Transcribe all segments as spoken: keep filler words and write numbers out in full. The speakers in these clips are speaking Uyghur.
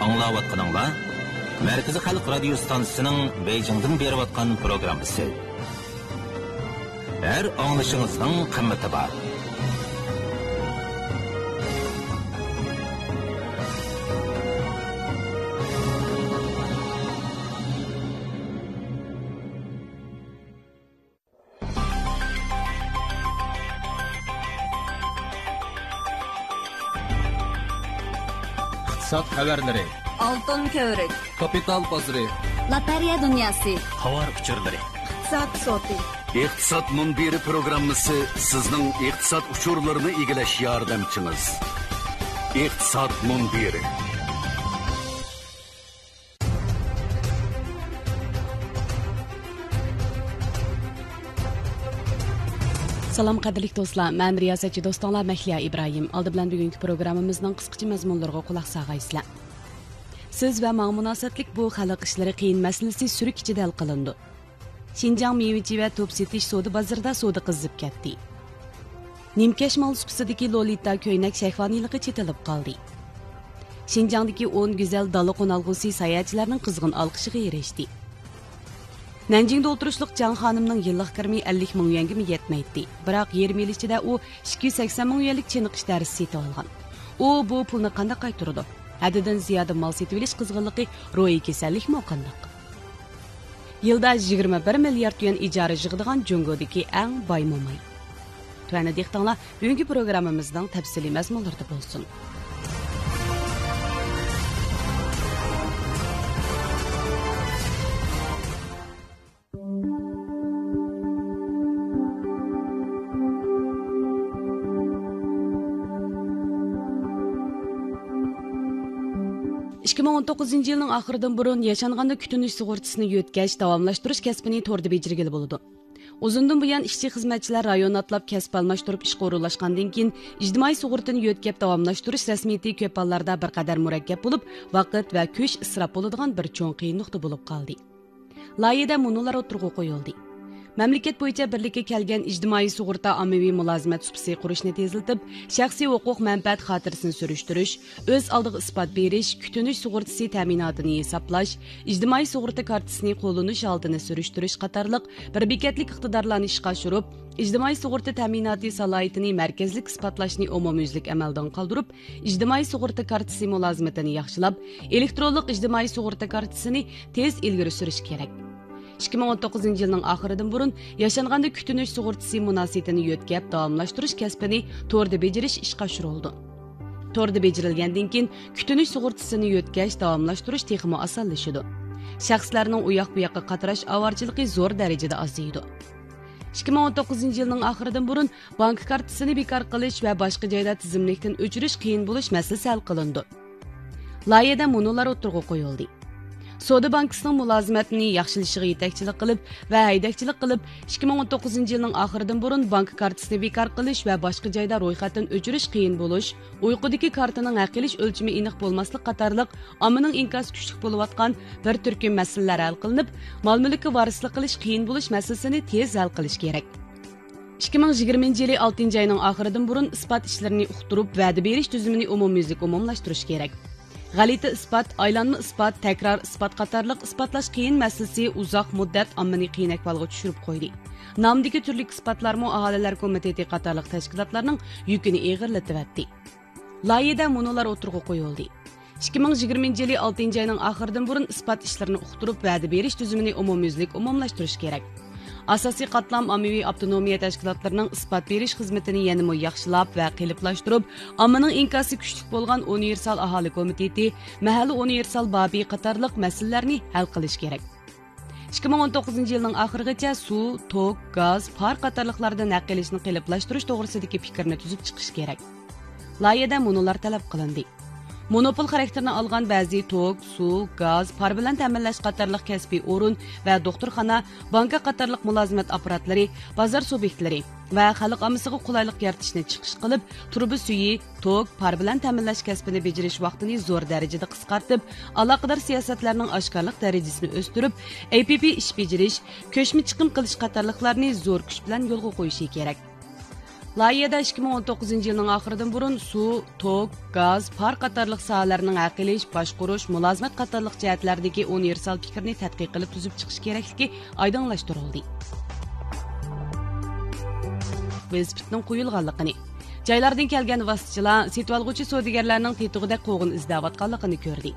ئاڭلاۋاتقىنىڭلار مەركىزىي خەلق رادىيو ستانسىسىنىڭ بېيجىڭدىن بېرىۋاتقان پروگراممىسى. ھەر ئاڭلىشىڭىزنىڭ قىممىتى بار. ئىقتىساد خەۋەرلىرى. ئالتۇن كۆۋرۈك. كاپىتال بازىرى. لاتېرېيە دۇنياسى. تاۋار ئۇچۇرلىرى. ئىقتىساد سوتى. ئىقتىساد مۇنبىرى پروگراممىسى سىزنىڭ ئىقتىساد ئۇچۇرلىرىنى ئىگىلەش ياردەمچىڭىز. ئىقتىساد مۇنبىرى. سالام، قەدىرلىك دوستلار، مەن رىياسەتچى دوستۇڭلار مەھلىيا ئىبراھىم. ئالدى بىلەن بۈگۈنكى پروگراممىمىزنىڭ قىسقىچە مەزمۇنلىرىغا قۇلاق سالغايسىلەر. سىز ۋە ماڭا مۇناسىۋەتلىك بۇ خەلق ئىشلىرى قىيىن مەسىلىسى سۈرۈك ئىچىدە ھەل قىلىنىدۇ. شىنجاڭ مېۋىچى ۋە توپ سېتىش سودا بازىرىدا سودا قىزىپ كەتتى. نىمكەش مال سۇپىسىدىكى لولىتا كۆينەك شەھۋانىيلىقى چېتىلىپ قالدى. شىنجاڭدىكى ئون گۈزەل دالا قونالغۇسى ساياھەتچىلەرنىڭ قىزغىن ئالقىشىغا ئېرىشتى. نەنجىڭدە ئولتۇرۇشلۇق جاڭ خانىمنىڭ يىللىق كىرىمى ئەللىك مىڭ يۈەنگىمۇ يەتمەيتتى. بىراق يېرىم يىل ئىچىدە ئۇ ئىككى يۈز سەكسەن مىڭ يۈەنلىك چېنىقىش دەرسى سېتىۋالغان. ئۇ بۇ پۇلنى قانداق قايتۇرىدۇ؟ ھەددىدىن زىيادە مال سېتىۋېلىش قىزغىنلىقى روھىي كېسەللىكمۇ قانداق؟ يىلدا يىگىرمە بىر مىليارد يۈەن ئىجارە يىغىدىغان جۇڭگودىكى ئەڭ باي موماي. تۆۋەندە دىققىتىڭلار بۈگۈنكى پروگراممىمىزنىڭ تەپسىلىي مەزمۇنلىرىدا بولسۇن. ئىككى مىڭ ئون توققۇزىنچى يىلنىڭ ئاخىرىدىن بۇرۇن ياشانغاندا كۈتۈنۈش سۇغۇرتىسىنى يۆتكەش، داۋاملاشتۇرۇش كەسپىنى توردا بېجىرگىلى بولىدۇ. ئۇزۇندىن بۇيان ئىشچى-خىزمەتچىلەر رايون ئاتلاپ كەسىپ ئالماشتۇرۇپ ئىشقا ئورۇنلاشقاندىن كېيىن، ئىجتىمائىي سۇغۇرتىنى يۆتكەپ داۋاملاشتۇرۇش رەسمىيىتى كۆپ ھاللاردا بىر قەدەر مۇرەككەپ بولۇپ، ۋاقىت ۋە كۈچ ئىسراپ بولىدىغان بىر چوڭ قىيىن نۇقتا بولۇپ قالدى. لايىھەدە مۇنۇلار ئوتتۇرىغا قويۇلدى. مەملىكەت بويىچە بىرلىككە كەلگەن ئىجتىمائىي سۇغۇرتا ئاممىۋى مۇلازىمەت سۇپىسى قۇرۇشنى تېزلىتىپ، شەخسىي ھوقۇق مەنپەئەت خاتىرىسىنى سۈرۈشتۈرۈش، ئۆز ئالدىغا ئىسپات بېرىش، كۈتۈنۈش سۇغۇرتىسى تەمىناتىنى ھېسابلاش، ئىجتىمائىي سۇغۇرتا كارتىسىنى قوللىنىش ھالىتىنى سۈرۈشتۈرۈش قاتارلىق بىر بېكەتلىك ئىقتىدارلارنى ئىشقا ئاشۇرۇپ، ئىجتىمائىي سۇغۇرتا تەمىناتى سالاھىيىتىنى مەركەزلىك ئىسپاتلاشنى ئومۇميۈزلۈك ئەمەلدىن قالدۇرۇپ، ئىجتىمائىي سۇغۇرتا كارتىسى مۇلازىمىتىنى ياخشىلاپ، ئېلېكترونلۇق ئىجتىمائىي سۇغۇرتا كارتىسىنى تېز ئىلگىرى سۈرۈش كېرەك. ئىككى مىڭ ئون توققۇزىنچى يىلنىڭ ئاخىرىدىن بۇرۇن ياشانغاندا كۈتۈنۈش سۇغۇرتىسى مۇناسىۋىتىنى يۆتكەپ داۋاملاشتۇرۇش كەسپىنى توردا بېجىرىش ئىشقا ئاشۇرۇلىدۇ. توردا بېجىرىلگەندىن كېيىن، كۈتۈنۈش سۇغۇرتىسىنى يۆتكەش، داۋاملاشتۇرۇش تېخىمۇ ئاسانلىشىدۇ. شەخسلەرنىڭ ئۇياق-بۇياققا قاتراش ئاۋارىچىلىقى زور دەرىجىدە ئازىيىدۇ. ئىككى مىڭ ئون توققۇزىنچى يىلنىڭ ئاخىرىدىن بۇرۇن بانكا كارتىسىنى بىكار قىلىش ۋە باشقا جايدا تىزىملىكتىن ئۆچۈرۈش قىيىن بولۇش مەسىلىسى ھەل قىلىنىدۇ. لايىھەدە مۇنۇلار ئوتتۇرىغا قويۇلدى. سودا بانكىسىنىڭ مۇلازىمەتنى ياخشىلىشىغا يېتەكچىلىك قىلىپ ۋە ھەيدەكچىلىك قىلىپ، ئىككى مىڭ ئون توققۇزىنچى يىلنىڭ ئاخىرىدىن بۇرۇن بانكا كارتىسىنى بىكار قىلىش ۋە باشقا جايدا رويخەتتىن ئۆچۈرۈش قىيىن بولۇش، ئۇيقۇدىكى كارتىنىڭ ھەق ئېلىش ئۆلچىمى ئېنىق بولماسلىق قاتارلىق ئاممىنىڭ ئىنكاسى كۈچلۈك بولۇۋاتقان بىر تۈركۈم مەسىلىلەر ھەل قىلىنىپ، مال-مۈلۈككە ۋارىسلىق قىلىش قىيىن بولۇش مەسىلىسىنى تېز ھەل قىلىش كېرەك. ئىككى مىڭ يىگىرمىنچى يىلى ئالتىنچى ئاينىڭ ئاخىرىدىن بۇرۇن ئىسپات ئىشلىرىنى ئۇقتۇرۇپ، ۋەدە بېرىش تۈزۈمىنى ئومۇميۈزلۈك ئومۇملاشتۇرۇش كېرەك. غەلىتە ئىسپات، ئايلانما ئىسپات، تەكرار ئىسپات قاتارلىق ئىسپاتلاش قىيىن مەسىلىسى ئۇزاق مۇددەت ئاممىنى قىيىن ئەھۋالغا چۈشۈرۈپ قويدى. نامدىكى تۈرلۈك ئىسپاتلارمۇ ئاھالىلەر كومىتېتى قاتارلىق تەشكىلاتلارنىڭ يۈكىنى ئېغىرلىتىۋەتتى. لايىھەدە مۇنۇلار ئوتتۇرىغا قويۇلدى. ئىككى مىڭ يىگىرمىنچى يىلى ئالتىنچى ئاينىڭ ئاخىرىدىن بۇرۇن ئىسپات ئىشلىرىنى ئۇقتۇرۇپ، ۋەدە بېرىش تۈزۈمىنى ئومۇميۈزلۈك ئومۇملاشتۇرۇش كېرەك. ئاساسىي قاتلام ئاممىۋى ئاپتونومىيە تەشكىلاتلىرىنىڭ ئىسپات بېرىش خىزمىتىنى يەنىمۇ ياخشىلاپ ۋە قېلىپلاشتۇرۇپ، ئاممىنىڭ ئىنكاسى كۈچلۈك بولغان ئۇنىۋېرسال ئاھالە كومىتېتى، مەھەللە ئۇنىۋېرسال بابى قاتارلىق مەسىلىلەرنى ھەل قىلىش كېرەك. ئىككى مىڭ ئون توققۇزىنچى يىلنىڭ ئاخىرىغىچە سۇ، توك، گاز، پار قاتارلىقلاردىن ھەق ئېلىشنى قېلىپلاشتۇرۇش توغرىسىدىكى پىكىرنى تۈزۈپ چىقىش كېرەك. لايىھەدە مۇنۇلار تەلەپ قىلىندى. مونوپول خاراكتېرىنى ئالغان بەزى توك، سۇ، گاز، پار بىلەن تەمىنلەش قاتارلىق كەسپىي ئورۇن ۋە دوختۇرخانا، بانكا قاتارلىق مۇلازىمەت ئاپپاراتلىرى، بازار سۇبيېكتلىرى ۋە خەلق ئاممىسىغا قولايلىق يارىتىشنى چىقىش قىلىپ، تۇرۇبا سۈيى، توك، پار بىلەن تەمىنلەش كەسپىنى بېجىرىش ۋاقتىنى زور دەرىجىدە قىسقارتىپ، ئالاقىدار سىياسەتلەرنىڭ ئاشكارىلىق دەرىجىسىنى ئۆستۈرۈپ، ئەي پىي پىي ئىش بېجىرىش، كۆچمە چىقىم قىلىش قاتارلىقلارنى زور كۈچ بىلەن يولغا قويۇشى كېرەك. لايىھەدە ئىككى مىڭ ئون توققۇزىنچى يىلنىڭ ئاخىرىدىن بۇرۇن سۇ، توك، گاز، پار قاتارلىق ساھەلەرنىڭ ھەق ئېلىش، باشقۇرۇش، مۇلازىمەت قاتارلىق جەھەتلەردىكى ئۇنىۋېرسال پىكىرنى تەتقىق قىلىپ تۈزۈپ چىقىش كېرەكلىكى ئايدىڭلاشتۇرۇلدى. ۋېلىسىپىتنىڭ قويۇلغانلىقىنى، جايلاردىن كەلگەن ۋاسىتىچىلار، سېتىۋالغۇچى سودىگەرلەرنىڭ تېتىغۇدەك قوغۇن ئىزدەۋاتقانلىقىنى كۆردى.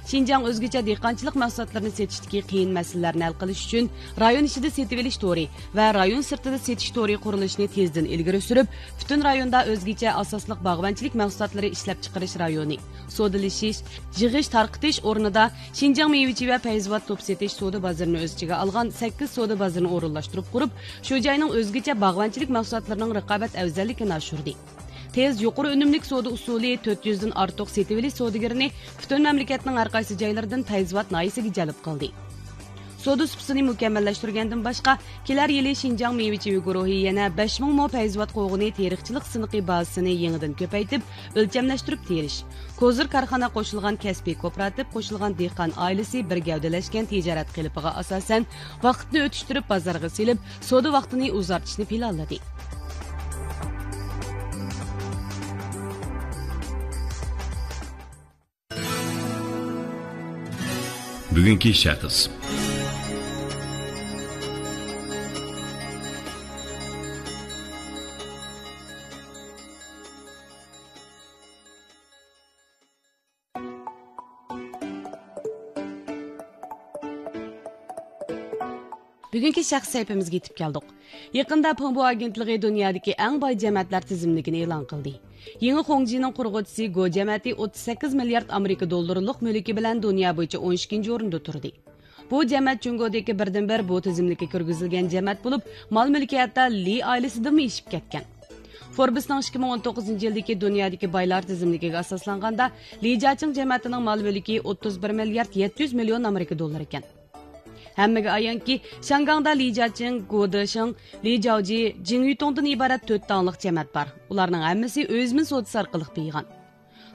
شىنجاڭ ئۆزگىچە دېھقانچىلىق مەھسۇلاتلىرىنى سېتىشتىكى قىيىن مەسىلىلەرنى ھەل قىلىش ئۈچۈن، رايون ئىچىدە سېتىۋېلىش تورى ۋە رايون سىرتىدا سېتىش تورى قۇرۇلۇشىنى تېزدىن ئىلگىرى سۈرۈپ، پۈتۈن رايوندا ئۆزگىچە ئاساسلىق باغۋەنچىلىك مەھسۇلاتلىرى ئىشلەپچىقىرىش رايونى، سودىلىشىش، يىغىش، تارقىتىش ئورنىدا شىنجاڭ مېۋىچى ۋە پەيزىۋات توپ سېتىش سودا بازىرىنى ئۆز ئىچىگە ئالغان سەككىز سودا بازىرىنى ئورۇنلاشتۇرۇپ قۇرۇپ، شۇ جاينىڭ ئۆزگىچە باغۋەنچىلىك مەھسۇلاتلىرىنىڭ رىقابەت ئەۋزەللىكىنى ئاشۇردى. تېز، يۇقىرى ئۈنۈملۈك سودا ئۇسۇلى تۆت يۈزدىن ئارتۇق سېتىۋېلىش سودىگىرىنى پۈتۈن مەملىكەتنىڭ ھەر قايسى جايلىرىدىن پەيزىۋات ناھىيەسىگە جەلپ قىلدى. سودا سۇپىسىنى مۇكەممەللەشتۈرگەندىن باشقا، كېلەر يىلى شىنجاڭ مېۋىچى گۇرۇھى يەنە بەش مىڭ مو پەيزىۋات قوغۇنى تېرىقچىلىق سىنىقى بازىسىنى يېڭىدىن كۆپەيتىپ، ئۆلچەملەشتۈرۈپ تېرىش، كوزىر كارخانا قوشۇلغان كەسپىي كوپىراتىپ قوشۇلغان دېھقان ئائىلىسى بىر گەۋدىلەشكەن تىجارەت قېلىپىغا ئاساسەن، ۋاقىتنى ئۆتۈشتۈرۈپ بازارغا سېلىپ، سودا ۋاقتىنى ئۇزارتىشنى پىلانلىدى. بۈگۈنكى شەخس. بۈگۈنكى شەخس سەھىپىمىزگە يېتىپ كەلدۇق. يېقىندا پېڭبو ئاگېنتلىقى دۇنيادىكى ئەڭ باي جەمەتلەر تىزىملىكىنى ئېلان قىلدى. يېڭى خۇڭجىنىڭ قۇرغۇچىسى گو جەمەتى ئوتتۇز سەككىز مىليارد ئامېرىكا دوللىرىلىق مۈلكى بىلەن دۇنيا بويىچە ئون ئىككىنچى ئورۇندا تۇردى. بۇ جەمەت جۇڭگودىكى بىردىنبىر بۇ تىزىملىككە كىرگۈزۈلگەن جەمەت بولۇپ، مال مۈلكى ھەتتا لى ئائىلىسىدىنمۇ ئېشىپ كەتكەن. فوربسنىڭ ئىككى مىڭ ئون توققۇزىنچى يىلدىكى دۇنيادىكى بايلار تىزىملىكىگە ئاساسلانغاندا، لى جياچىڭ جەمەتىنىڭ مال مۈلكى ئوتتۇز بىر مىليارد يەتتە يۈز مىليون ئامېرىكا دوللىرى ئىكەن. ھەممىگە ئايانكى، شياڭگاڭدا لى جياچىڭ، گو دېشىڭ، لى جياۋجى، جىڭ يۈتۇڭدىن ئىبارەت تۆت داڭلىق جەمەت بار. ئۇلارنىڭ ھەممىسى ئۆي زېمىن سودىسى ئارقىلىق بېيىغان.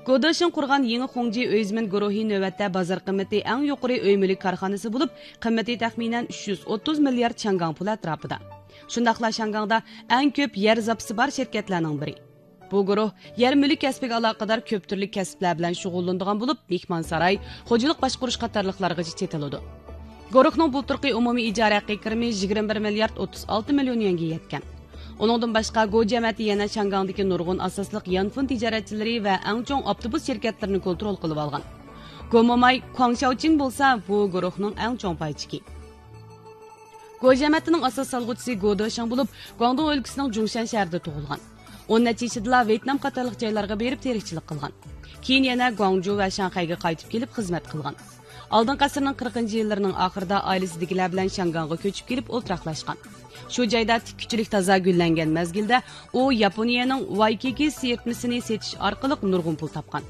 گو دېشىڭ قۇرغان يېڭى خۇڭجى ئۆي زېمىن گۇرۇھى نۆۋەتتە بازار قىممىتى ئەڭ يۇقىرى ئۆي مۈلۈك كارخانىسى بولۇپ، قىممىتى تەخمىنەن ئۈچ يۈز ئوتتۇز مىليارد شياڭگاڭ پۇلى ئەتراپىدا. شۇنداقلا شياڭگاڭدا ئەڭ كۆپ يەر زاپىسى بار شىركەتلەرنىڭ بىرى. بۇ گۇرۇھ يەر مۈلۈك كەسپىگە ئالاقىدار كۆپ تۈرلۈك كەسىپلەر بىلەن شۇغۇللىنىدىغان بولۇپ، مېھمانساراي، خوجىلىق باشقۇرۇش قاتارلىقلارغىچە چېتىلىدۇ. گۇرۇھنىڭ بۇلتۇرقى ئومۇمىي ئىجارە ھەققى كىرىمى يىگىرمە بىر مىليارد ئوتتۇز ئالتە مىليون يۈەنگە يەتكەن. ئۇنىڭدىن باشقا، گو جەمەتى يەنە شياڭگاڭدىكى نۇرغۇن ئاساسلىق يانفون تىجارەتچىلىرى ۋە ئەڭ چوڭ ئاپتوبۇس شىركەتلىرىنى كونترول قىلىۋالغان. گو موماي، كۇاڭ شياۋچىڭ بولسا بۇ گۇرۇھنىڭ ئەڭ چوڭ پايچىكى. گو جەمەتىنىڭ ئاساس سالغۇچىسى گو دېشىڭ بولۇپ، گۇاڭدۇڭ ئۆلكىسىنىڭ جۇڭشەن شەھىرىدە تۇغۇلغان. ئون نەچچە يېشىدىلا ۋيېتنام قاتارلىق جايلارغا بېرىپ تېرىقچىلىق قىلغان. كېيىن يەنە گۇاڭجۇ ۋە شاڭخەيگە قايتىپ كېلىپ خىزمەت قىلغان. ئالدىنقى ئەسىرنىڭ قىرىقىنچى يىللىرىنىڭ ئاخىرىدا ئائىلىسىدىكىلەر بىلەن شياڭگاڭغا كۆچۈپ كېلىپ ئولتۇراقلاشقان. شۇ جايدا تىككۈچىلىك تازا گۈللەنگەن مەزگىلدە ئۇ ياپونىيەنىڭ ۋايكىكى سىرتمىسىنى سېتىش ئارقىلىق نۇرغۇن پۇل تاپقان.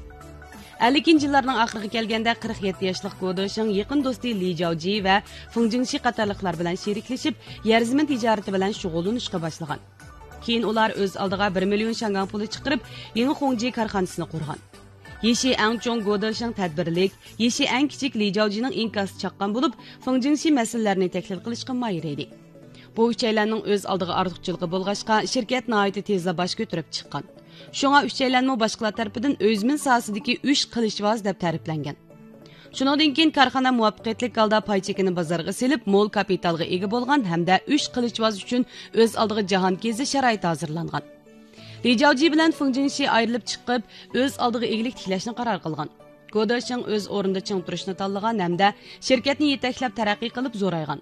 ئەللىكىنچى يىللارنىڭ ئاخىرىغا كەلگەندە قىرىق يەتتە ياشلىق گو دېشىڭ يېقىن دوستى لى جاۋجى ۋە فېڭ جىڭشى قاتارلىقلار بىلەن شېرىكلىشىپ، يەر زېمىن تىجارىتى بىلەن شۇغۇللىنىشقا باشلىغان. كېيىن ئۇلار ئۆز ئالدىغا بىر مىليون شياڭگاڭ پۇلى چىقىرىپ، يېڭى خۇڭجى كارخانىسىنى قۇرغان. يېشى ئەڭ چوڭ گو دېشىڭ تەدبىرلىك، يېشى ئەڭ كىچىك لى جاۋجىنىڭ ئىنكاسى چاققان بولۇپ، فېڭ جىڭشى مەسىلىلەرنى تەھلىل قىلىشقا ماھىر ئىدى. بۇ ئۈچەيلەننىڭ ئۆز ئالدىغا ئارتۇقچىلىقى بولغاچقا، شىركەت ناھايىتى تېزلا باش كۆتۈرۈپ چىققان. شۇڭا ئۈچەيلەنمۇ باشقىلار تەرىپىدىن ئۆي زېمىن ساھەسىدىكى ئۈچ قىلىچۋاز دەپ تەرىپلەنگەن. شۇنىڭدىن كېيىن كارخانا مۇۋەپپەقىيەتلىك ھالدا پاي چېكىنى بازارغا سېلىپ، مول كاپىتالغا ئىگە بولغان ھەمدە ئۈچ قىلىچۋاز ئۈچۈن ئۆز ئالدىغا جاھانكېزى شارائىتى ھازىرلانغان. لى جاۋجى بىلەن فېڭ جىڭشى ئايرىلىپ چىقىپ، ئۆز ئالدىغا ئىگىلىك تىكلەشنى قارار قىلغان. گو دېشىڭ ئۆز ئورنىدا چىڭ تۇرۇشنى تاللىغان ھەمدە شىركەتنى يېتەكلەپ تەرەققىي قىلىپ زورايغان.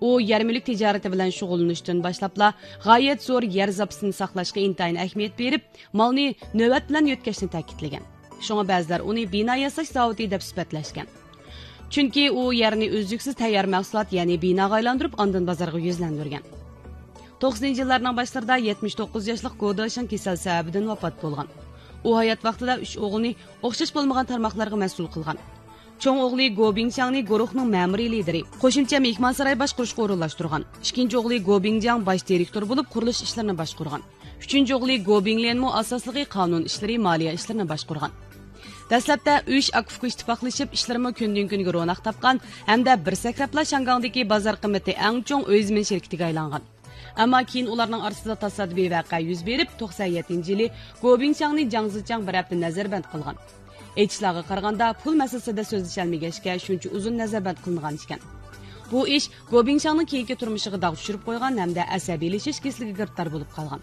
ئۇ يەر مۈلۈك تىجارىتى بىلەن شۇغۇللىنىشتىن باشلاپلا غايەت زور يەر زاپىسىنى ساقلاشقا ئىنتايىن ئەھمىيەت بېرىپ، مالنى نۆۋەت بىلەن يۆتكەشنى تەكىتلىگەن. شۇڭا بەزىلەر ئۇنى بىنا ياساش زاۋۇتى دەپ سۈپەتلەشكەن. چۈنكى ئۇ يەرنى ئۈزلۈكسىز تەييار مەھسۇلات، يەنى بىناغا ئايلاندۇرۇپ، ئاندىن بازارغا يۈزلەندۈرگەن. توقسىنىنچى يىللارنىڭ باشلىرىدا يەتمىش توققۇز ياشلىق گو دېشىڭ كېسەل سەۋەبىدىن ۋاپات بولغان. ئۇ ھايات ۋاقتىدا ئۈچ ئوغلىنى ئوخشاش بولمىغان تارماقلارغا مەسئۇل قىلغان. چوڭ ئوغلى گو بىڭچياڭنى گۇرۇھنىڭ مەمۇرىي لىدىرى، قوشۇمچە مېھمانساراي باشقۇرۇشقا ئورۇنلاشتۇرغان. ئىككىنچى ئوغلى گو بىڭجياڭ باش دىرېكتور بولۇپ، قۇرۇلۇش ئىشلىرىنى باشقۇرغان. ئۈچىنچى ئوغلى گو بىڭليەنمۇ ئاساسلىقى قانۇن ئىشلىرى، مالىيە ئىشلىرىنى باشقۇرغان. دەسلەپتە ئۈچ ئاكا-ئۇكا ئىتتىپاقلىشىپ، ئىشلىرىمۇ كۈندىن-كۈنگە روناق تاپقان ھەمدە بىر سەكرەپلا شياڭگاڭدىكى بازار قىممىتى ئەڭ چوڭ ئۆي زېمىن شىركىتىگە ئايلانغان. ئەمما كېيىن ئۇلارنىڭ ئارىسىدا تاسادىپىي ۋەقە يۈز بېرىپ، توقسان يەتتىنچى يىلى گوبىڭشاڭنى جاڭ زىچاڭ بىر ھەپتە نەزەربەند قىلغان. ئېيتىشلارغا قارىغاندا، پۇل مەسىلىسىدە سۆزلىشەلمىگەچكە، شۇنچە ئۇزۇن نەزەربەند قىلىنغان ئىكەن. بۇ ئىش گوبىڭشاڭنىڭ كېيىنكى تۇرمۇشىغا داغ چۈشۈرۈپ قويغان ھەمدە ئەسەبىيلىشىش كېسىلىگە گىرىپتار بولۇپ قالغان.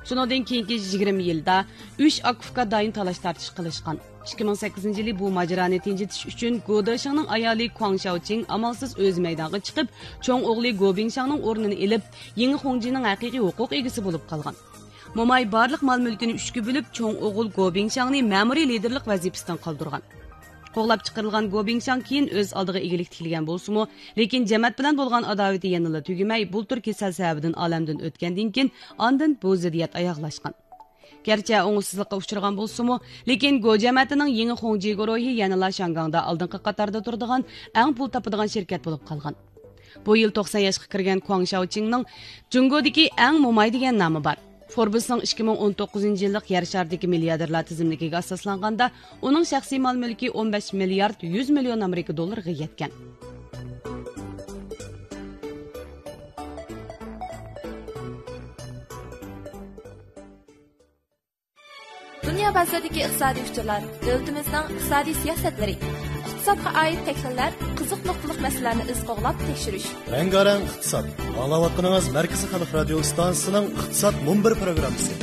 شۇنىڭدىن كېيىنكى يىگىرمە يىلدا ئۈچ ئاكا-ئۇكا دائىم تالاش-تارتىش قىلىشقان. ئىككى مىڭ سەككىزىنچى يىلى بۇ ماجىرانى تىنجىتىش ئۈچۈن گو دېشىڭنىڭ ئايالى كۇاڭ شياۋچىڭ ئامالسىز ئۆزى مەيدانغا چىقىپ، چوڭ ئوغلى گو بىڭشاڭنىڭ ئورنىنى ئېلىپ، يېڭى خۇڭجىنىڭ ھەقىقىي ھوقۇق ئىگىسى بولۇپ قالغان. موماي بارلىق مال-مۈلكىنى ئۈچكە بۆلۈپ، چوڭ ئوغۇل گو بىڭشاڭنى مەمۇرىي لىدېرلىق ۋەزىپىسىدىن قالدۇرغان. قوغلاپ چىقىرىلغان گو بىڭشاڭ كېيىن ئۆز ئالدىغا ئىگىلىك تىكلىگەن بولسىمۇ، لېكىن جەمەت بىلەن بولغان ئاداۋىتى يەنىلا تۈگىمەي، بۇلتۇر كېسەل سەۋەبىدىن ئالەمدىن ئۆتكەندىن كېيىن، ئاندىن بۇ زىددىيەت ئاياغلاشقان. گەرچە ئوڭۇشسىزلىققا ئۇچرىغان بولسىمۇ، لېكىن گو جەمەتىنىڭ يېڭى خۇڭجى گۇرۇھى يەنىلا شياڭگاڭدا ئالدىنقى قاتاردا تۇرىدىغان، ئەڭ پۇل تاپىدىغان شىركەت بولۇپ قالغان. بۇ يىل توقسان ياشقا كىرگەن كۇاڭ شياۋچىڭنىڭ جۇڭگودىكى ئەڭ موماي دېگەن نامى بار. فوربسنىڭ ئىككى مىڭ ئون توققۇزىنچى يىللىق يەر شارىدىكى مىلياردېرلار تىزىملىكىگە ئاساسلانغاندا، ئۇنىڭ شەخسىي مال مۈلكى ئون بەش مىليارد يۈز مىليون ئامېرىكا دوللىرىغا يەتكەن. دۇنيا بازىرىدىكى ئىقتىسادىي ئۇچۇرلار، دۆلىتىمىزنىڭ ئىقتىسادىي سىياسەتلىرى، ئىقتىسادقا ئائىت تەھلىللەر، قىزىق نۇقتىلىق مەسىلىلەرنى ئىز قوغلاپ تەكشۈرۈش. رەڭگارەڭ ئىقتىساد. ئاڭلاۋاتقىنىڭىز مەركىزىي خەلق رادىيو ئىستانسىسىنىڭ ئىقتىساد مۇنبىرى پروگراممىسى.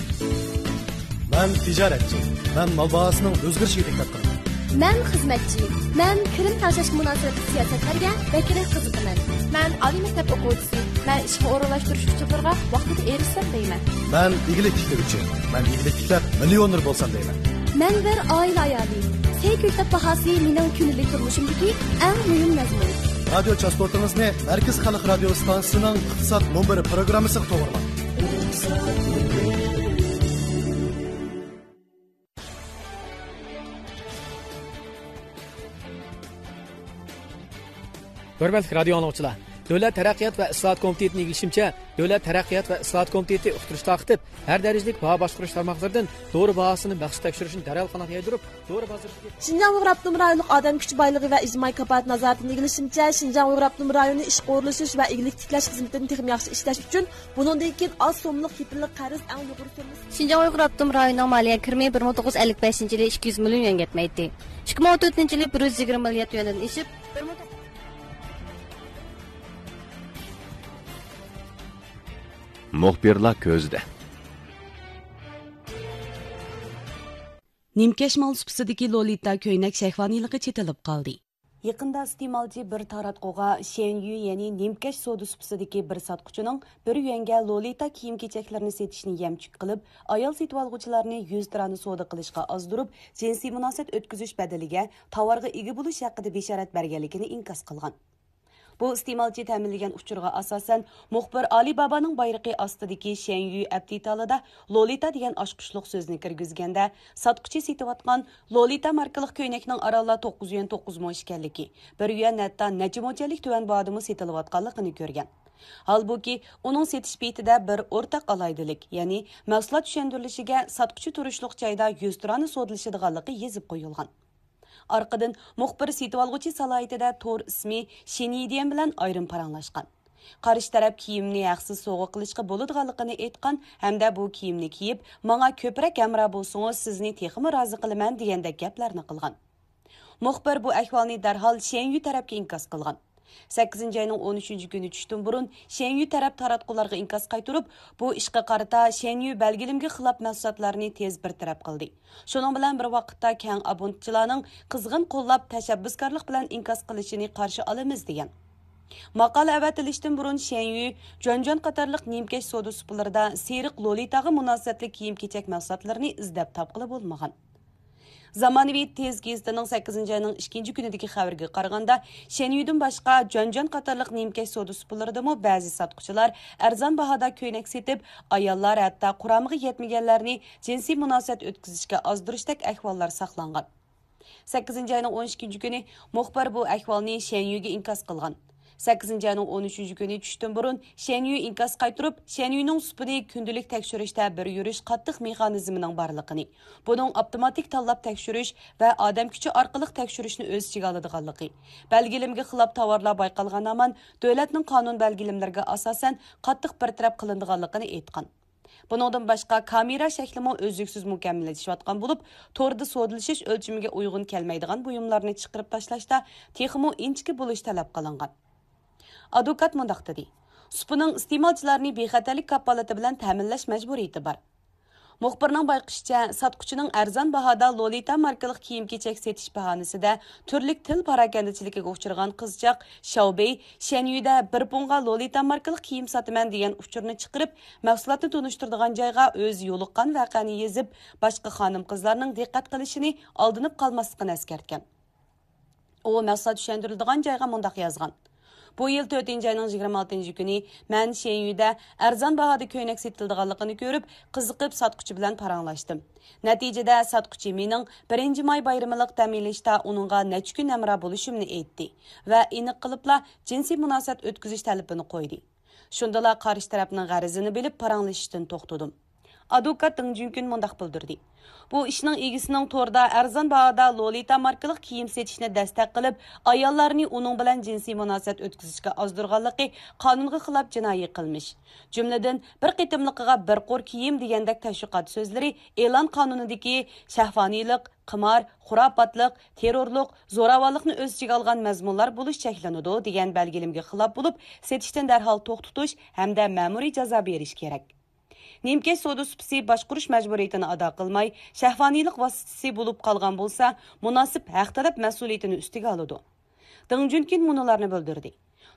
مەن تىجارەتچى. مەن مال باھاسىنىڭ ئۆزگىرىشىگە دىققەت قىلىمەن. مەن خىزمەتچى. مەن كىرىم تەڭشەشكە مۇناسىۋەتلىك سىياسەتلەرگە بەكرەك قىزىقىمەن. مەن ئالىي مەكتەپ ئوقۇغۇچىسى. مەن ئىشقا ئورۇنلاشتۇرۇش ئۇچۇرلىرىغا ۋاقتىدا ئېرىشسەم دەيمەن. مەن ئىگىلىك تىكلىگۈچى. مەن ئىگىلىك تىكلەپ، مىليونېر بولسام دەيمەن. مەن بىر ئائىلە ئايالى. سەي كۆكتات باھاسى مېنىڭ كۈندىلىك تۇرمۇشۇمدىكى ئەڭ مۇھىم مەزمۇن. رادىيو چاستوتىڭىزنى مەركىزىي خەلق رادىيو ئىستانسىسىنىڭ ئىقتىساد مۇنبىرى پروگراممىسىغا توغرىلاڭ. ھۆرمەتلىك رادىيو ئاڭلىغۇچىلار! دۆلەت تەرەققىيات ۋە ئىسلاھات كومىتېتىنىڭ ئىگىلىشىمىچە، دۆلەت تەرەققىيات ۋە ئىسلاھات كومىتېتى ئۇقتۇرۇش تارقىتىپ، ھەر دەرىجىلىك باھا باشقۇرۇش تارماقلىرىدىن دورا باھاسىنى مەخسۇس تەكشۈرۈشنى دەرھال قانات يايدۇرۇپ، دورا بازىرىدىكى شىنجاڭ ئۇيغۇر ئاپتونوم رايونلۇق ئادەم كۈچى بايلىقى ۋە ئىجتىمائىي كاپالەت نازارىتىنىڭ ئىگىلىشىمىچە، شىنجاڭ ئۇيغۇر ئاپتونوم رايونى ئىشقا ئورۇنلىشىش ۋە ئىگىلىك تىكلەش خىزمىتىنى تېخىمۇ ياخشى ئىشلەش ئۈچۈن، بۇنىڭدىن كېيىن ئاز سوممىلىق كېپىللىك قەرز ئەڭ يۇقىرى سوممىسى. شىنجاڭ ئۇيغۇر ئاپتونوم رايونىنىڭ مالىيە كىرىمى بىر مىڭ توققۇز يۈز ئەللىك بەشىنچى يىلى ئىككى يۈز مىليون يۈەنگە يەتمەيتتى. ئىككى مىڭ ئون تۆتىنچى يىلى بىر يۈز يىگىرمە مىليارد يۈەندىن ئېشىپ، بىر مىڭ مۇخبىرلار كۆزىدە. نىمكەش مال سۇپىسىدىكى لولىتا كۆينەك شەھۋانىيلىقى چېتىلىپ قالدى. يېقىندا ئىستېمالچى بىر تاراتقۇغا شيەنيۈ، يەنى نىمكەش سودا سۇپىسىدىكى بىر ساتقۇچىنىڭ بىر يۈەنگە لولىتا كىيىم-كېچەكلىرىنى سېتىشنى يەمچۈك قىلىپ، ئايال سېتىۋالغۇچىلارنى يۈزتۇرانە سودا قىلىشقا ئازدۇرۇپ، جىنسىي مۇناسىۋەت ئۆتكۈزۈش بەدىلىگە تاۋارغا ئىگە بولۇش ھەققىدە بېشارەت بەرگەنلىكىنى ئىنكاس قىلغان. بۇ ئىستېمالچى تەمىنلىگەن ئۇچۇرغا ئاساسەن، مۇخبىر ئالىبابانىڭ بايرىقى ئاستىدىكى شيەنيۈ ئەپ دېتالىدا لولىتا دېگەن ئاچقۇچلۇق سۆزنى كىرگۈزگەندە، ساتقۇچى سېتىۋاتقان لولىتا ماركىلىق كۆينەكنىڭ ئارانلا توققۇز يۈەن توققۇز مو ئىكەنلىكى، بىر يۈەن ھەتتا نەچچە موچەنلىك تۆۋەن باھادىمۇ سېتىلىۋاتقانلىقىنى كۆرگەن. ھالبۇكى، ئۇنىڭ سېتىش پېيتىدە بىر ئورتاق ئالاھىدىلىك، يەنى مەھسۇلات چۈشەندۈرۈلۈشىگە ساتقۇچى تۇرۇشلۇق جايدا يۈزتۇرانە سودىلىشىدىغانلىقى يېزىپ قويۇلغان. ئارقىدىن مۇخبىر سېتىۋالغۇچى سالاھىيىتىدە تور ئىسمى شېنيىديەن بىلەن ئايرىم پاراڭلاشقان. قارشى تەرەپ كىيىمنى ھەقسىز سوۋغا قىلىشقا بولىدىغانلىقىنى ئېيتقان ھەمدە بۇ كىيىمنى كىيىپ، ماڭا كۆپرەك ھەمراھ بولسىڭىز، سىزنى تېخىمۇ رازى قىلىمەن، دېگەندەك گەپلەرنى قىلغان. مۇخبىر بۇ ئەھۋالنى دەرھال شيەنيۈ تەرەپكە ئىنكاس قىلغان. سەككىزىنچى ئاينىڭ ئون ئۈچىنچى كۈنى چۈشتىن بۇرۇن شيەنيۈ تەرەپ تاراتقۇلارغا ئىنكاس قايتۇرۇپ، بۇ ئىشقا قارىتا شيەنيۈ بەلگىلىمىگە خىلاپ مەھسۇلاتلارنى تېز بىر تەرەپ قىلدى. شۇنىڭ بىلەن بىر ۋاقىتتا، كەڭ ئابۇنتچىلارنىڭ قىزغىن قوللاپ، تەشەببۇسكارلىق بىلەن ئىنكاس قىلىشىنى قارشى ئالىمىز، دېگەن. ماقالە ئەۋەتىلىشتىن بۇرۇن شيەنيۈ، جۈەنجۈەن قاتارلىق نىمكەش سودا سۇپىلىرىدا سېرىق لولىتاغا مۇناسىۋەتلىك كىيىم-كېچەك مەھسۇلاتلىرىنى ئىزدەپ تاپقىلى بولمىغان. زامانىۋى تېز گېزىتىنىڭ سەككىزىنچى ئاينىڭ ئىككىنچى كۈنىدىكى خەۋىرىگە قارىغاندا، شيەنيۈدىن باشقا، جۈەنجۈەن قاتارلىق نىمكەش سودا سۇپىلىرىدىمۇ بەزى ساتقۇچىلار ئەرزان باھادا كۆينەك سېتىپ، ئاياللار ھەتتا قۇرامىغا يەتمىگەنلەرنى جىنسىي مۇناسىۋەت ئۆتكۈزۈشكە ئازدۇرۇشتەك ئەھۋاللار ساقلانغان. سەككىزىنچى ئاينىڭ ئون ئىككىنچى كۈنى مۇخبىر بۇ ئەھۋالنى شيەنيۈگە ئىنكاس قىلغان. سەككىزىنچى ئاينىڭ ئون ئۈچىنچى كۈنى چۈشتىن بۇرۇن شەنيۈ ئىنكاس قايتۇرۇپ، شەنيۈنىڭ سۈپىنى كۈندىلىك تەكشۈرۈشتە بىر يۈرۈش قاتتىق مېخانىزمىنىڭ بارلىقىنى، بۇنىڭ ئاپتوماتىك تاللاپ تەكشۈرۈش ۋە ئادەم كۈچى ئارقىلىق تەكشۈرۈشنى ئۆز ئىچىگە ئالىدىغانلىقى، بەلگىلىمىگە خىلاپ تاۋارلار بايقالغان ھامان دۆلەتنىڭ قانۇن بەلگىلىمىلىرىگە ئاساسەن قاتتىق بىر تەرەپ قىلىنىدىغانلىقىنى ئېيتقان. بۇنىڭدىن باشقا، كامېرا شەكلىمۇ ئۈزلۈكسىز مۇكەممەللىشىۋاتقان بولۇپ، توردا سودىلىشىش ئۆلچىمىگە ئۇيغۇن كەلمەيدىغان بۇيۇملارنى چىقىرىپ تاشلاشتا تېخىمۇ ئىنچىكە بولۇش تەلەپ قىلىنغان. ئادۋوكات مۇنداق دېدى: سۇپىنىڭ ئىستېمالچىلارنى بىخەتەرلىك كاپالىتى بىلەن تەمىنلەش مەجبۇرىيىتى بار. مۇخبىرنىڭ بايقىشىچە، ساتقۇچىنىڭ ئەرزان باھادا لولىتا ماركىلىق كىيىم-كېچەك سېتىش باھانىسىدە تۈرلۈك تىل پاراكەندىچىلىكىگە ئۇچرىغان قىزچاق شياۋبېي شەنيۈدە بىر پۇڭغا لولىتا ماركىلىق كىيىم ساتىمەن دېگەن ئۇچۇرنى چىقىرىپ، مەھسۇلاتنى تونۇشتۇرىدىغان جايغا ئۆزى يولۇققان ۋەقەنى يېزىپ، باشقا خانىم-قىزلارنىڭ دىققەت قىلىشىنى ئالدىنىپ قالماسلىقىنى ئەسكەرتكەن. ئۇ مەھسۇلات چۈشەندۈرۈلىدىغان جايغا مۇنداق يازغان: بۇ يىل تۆتىنچى ئاينىڭ يىگىرمە ئالتىنچى كۈنى مەن شېنيۈدە ئەرزان باھادا كۆينەك سېتىلىدىغانلىقىنى كۆرۈپ، قىزىقىپ ساتقۇچى بىلەن پاراڭلاشتىم. نەتىجىدە ساتقۇچى مېنىڭ بىرىنچى ماي بايرىمىلىق دەم ئېلىشتا ئۇنىڭغا نەچچە كۈن ھەمراھ بولۇشۇمنى ئېيتتى ۋە ئېنىق قىلىپلا جىنسىي مۇناسىۋەت ئۆتكۈزۈش تەلىپىنى قويدى. شۇندىلا قارشى تەرەپنىڭ غەرىزىنى بىلىپ پاراڭلىشىشتىن توختىدىم. ئادۋوكات دېڭ جۈنكۈن مۇنداق بىلدۈردى: بۇ ئىشنىڭ ئىگىسىنىڭ توردا ئەرزان باھادا لولىتا ماركىلىق كىيىم سېتىشنى دەستەك قىلىپ، ئاياللارنى ئۇنىڭ بىلەن جىنسىي مۇناسىۋەت ئۆتكۈزۈشكە ئازدۇرغانلىقى قانۇنغا خىلاپ جىنايى قىلمىش. جۈملىدىن، بىر قېتىملىقىغا بىر قۇر كىيىم دېگەندەك تەشۋىقات سۆزلىرى ئېلان قانۇنىدىكى شەھۋانىيلىق، قىمار، خۇراپاتلىق، تېررورلۇق، زوراۋانلىقنى ئۆز ئىچىگە ئالغان مەزمۇنلار بولۇش چەكلىنىدۇ دېگەن بەلگىلىمىگە خىلاپ بولۇپ، سېتىشتىن دەرھال توختىتىش ھەمدە مەمۇرىي جازا بېرىش كېرەك. نىمكەش سودا سۇپىسى باشقۇرۇش مەجبۇرىيىتىنى ئادا قىلماي، شەھۋانىيلىق ۋاسىتىسى بولۇپ قالغان بولسا، مۇناسىپ ھەق تەلەپ مەسئۇلىيىتىنى ئۈستىگە ئالىدۇ. دېڭ جۈنكىن مۇنۇلارنى بىلدۈردى: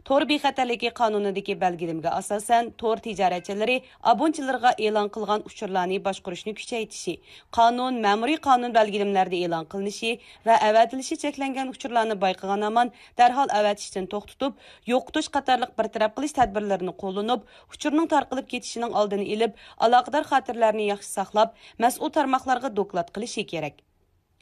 تور بىخەتەرلىكى قانۇنىدىكى بەلگىلىمىگە ئاساسەن، تور تىجارەتچىلىرى ئابۇنىچىلىرىغا ئېلان قىلغان ئۇچۇرلارنى باشقۇرۇشنى كۈچەيتىشى، قانۇن، مەمۇرىي قانۇن بەلگىلىمىلەردە ئېلان قىلىنىشى ۋە ئەۋەتىلىشى چەكلەنگەن ئۇچۇرلارنى بايقىغان ھامان دەرھال ئەۋەتىشتىن توختىتىپ، يوقىتىش قاتارلىق بىر تەرەپ قىلىش تەدبىرلىرىنى قوللىنىپ، ئۇچۇرنىڭ تارقىلىپ كېتىشىنىڭ ئالدىنى ئېلىپ، ئالاقىدار خاتىرىلەرنى ياخشى ساقلاپ، مەسئۇل تارماقلارغا دوكلات قىلىشى كېرەك.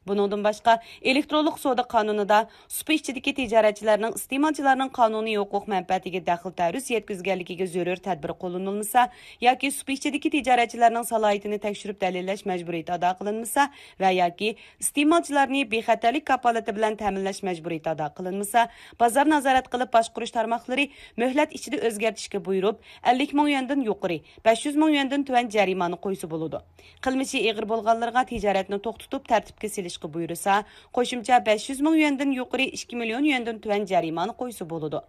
بۇنىڭدىن باشقا، ئېلېكترونلۇق سودا قانۇنىدا سۇپا ئىچىدىكى تىجارەتچىلەرنىڭ ئىستېمالچىلارنىڭ قانۇنىي ھوقۇق مەنپەئەتىگە دەخلى تەرۇز يەتكۈزگەنلىكىگە زۆرۈر تەدبىر قوللىنىلمىسا ياكى سۇپا ئىچىدىكى تىجارەتچىلەرنىڭ سالاھىيىتىنى تەكشۈرۈپ دەلىللەش مەجبۇرىيىتى ئادا قىلىنمىسا ۋە ياكى ئىستېمالچىلارنى بىخەتەرلىك كاپالىتى بىلەن تەمىنلەش مەجبۇرىيىتى ئادا قىلىنمىسا، بازار نازارەت قىلىپ باشقۇرۇش تارماقلىرى مۆھلەت ئىچىدە ئۆزگەرتىشكە بۇيرۇپ، ئەللىك مىڭ يۈەندىن يۇقىرى، بەش يۈز مىڭ يۈەندىن تۆۋەن جەرىمانە قويسا بولىدۇ. قىلمىشى ئېغىر بولغانلىرىغا تىجارەتنى توختىتىپ تەرتىپكە سېلىشقا بۇيرۇسا، قوشۇمچە بەش يۈز مىڭ يۈەندىن يۇقىرى، ئىككى مىليون يۈەندىن تۆۋەن جەرىمانە قويسا بولىدۇ.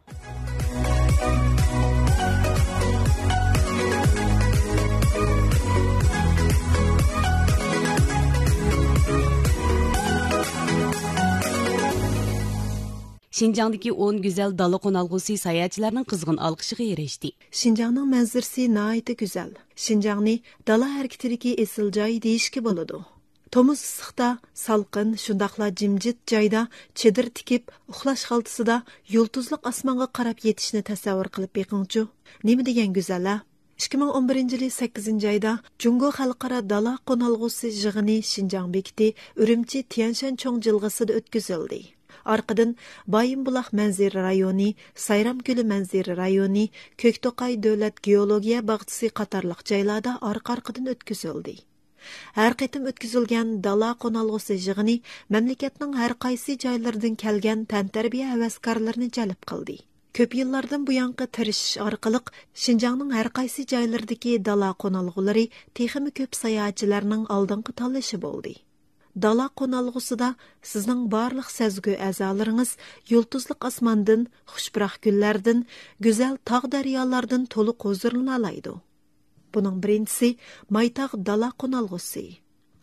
شىنجاڭدىكى ئون گۈزەل دالا قونالغۇسى ساياھەتچىلەرنىڭ قىزغىن ئالقىشىغا ئېرىشتى. شىنجاڭنىڭ مەنزىرىسى ناھايىتى گۈزەل. شىنجاڭنى دالا ھەرىكىتىدىكى ئېسىل جاي دېيىشكە بولىدۇ. تومۇز ئىسسىقتا، سالقىن، شۇنداقلا جىمجىت جايدا چېدىر تىكىپ، ئۇخلاش خالتىسىدا يۇلتۇزلۇق ئاسمانغا قاراپ يېتىشنى تەسەۋۋۇر قىلىپ بېقىڭچۇ. نېمە دېگەن گۈزەل-ھە؟ ئىككى مىڭ ئون بىرىنچى يىلى سەككىزىنچى ئايدا جۇڭگو خەلقئارا دالا قونالغۇسى يىغىنى شىنجاڭ بېكىتى ئۈرۈمچى تيەنشان چوڭ جىلغىسىدا ئۆتكۈزۈلدى. ئارقىدىن بايىنبۇلاق مەنزىرە رايونى، سايرام كۆلى مەنزىرە رايونى، كۆكتوقاي دۆلەت گېئولوگىيە باغچىسى قاتارلىق جايلاردا ئارقا-ئارقىدىن ئۆتكۈزۈلدى. ھەر قېتىم ئۆتكۈزۈلگەن دالا قونالغۇسى يىغىنى مەملىكەتنىڭ ھەر قايسى جايلىرىدىن كەلگەن تەنتەربىيە ھەۋەسكارلىرىنى جەلپ قىلدى. كۆپ يىللاردىن بۇيانقى تىرىشىش ئارقىلىق شىنجاڭنىڭ ھەر قايسى جايلىرىدىكى دالا قونالغۇلىرى تېخىمۇ كۆپ ساياھەتچىلەرنىڭ ئالدىنقى تاللىشى بولدى. دالا قونالغۇسىدا سىزنىڭ بارلىق سەزگۈ ئەزالىرىڭىز يۇلتۇزلۇق ئاسماندىن، خۇش پۇراق گۈللەردىن، گۈزەل تاغ-دەريالاردىن تولۇق ھۇزۇرلىنالايدۇ. بۇنىڭ بىرىنچىسى مايتاغ دالا قونالغۇسى.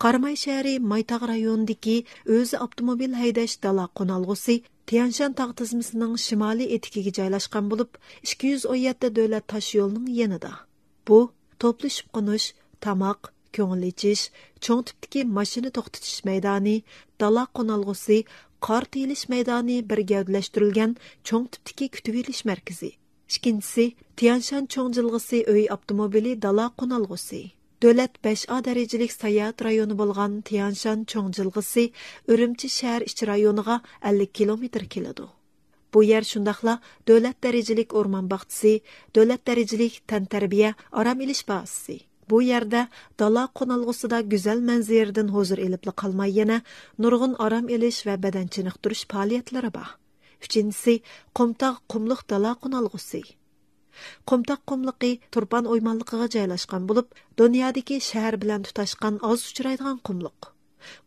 قاراماي شەھىرى مايتاغ رايونىدىكى ئۆزى ئاپتوموبىل ھەيدەش دالا قونالغۇسى تيەنشان تاغ تىزمىسىنىڭ شىمالىي ئېتىكىگە جايلاشقان بولۇپ، ئىككى يۈز ئون يەتتە دۆلەت تاشيولىنىڭ يېنىدا. بۇ توپلىشىپ قونۇش، تاماق، كۆڭۈل ئېچىش، چوڭ تىپتىكى ماشىنا توختىتىش مەيدانى، دالا قونالغۇسى، قار تېيىلىش مەيدانى بىر گەۋدىلەشتۈرۈلگەن چوڭ تىپتىكى كۈتۈۋېلىش مەركىزى. ئىككىنچىسى، تيەنشان چوڭ جىلغىسى ئۆي ئاپتوموبىلى دالا قونالغۇسى. دۆلەت بەش ئا دەرىجىلىك ساياھەت رايونى بولغان تيەنشان چوڭ جىلغىسى ئۈرۈمچى شەھەر ئىچى رايونىغا ئەللىك كىلومېتىر كېلىدۇ. بۇ يەر شۇنداقلا دۆلەت دەرىجىلىك ئورمان باغچىسى، دۆلەت دەرىجىلىك تەنتەربىيە، ئارام ئېلىش بازىسى. بۇ يەردە دالا قونالغۇسىدا گۈزەل مەنزىرىدىن ھۇزۇر ئېلىپلا قالماي، يەنە نۇرغۇن ئارام ئېلىش ۋە بەدەن چېنىقتۇرۇش پائالىيەتلىرى بار. ئۈچىنچىسى، قۇمتاغ قۇملۇق دالا قونالغۇسى. قۇمتاغ قۇملۇقى تۇرپان ئويمانلىقىغا جايلاشقان بولۇپ، دۇنيادىكى شەھەر بىلەن تۇتاشقان ئاز ئۇچرايدىغان قۇملۇق.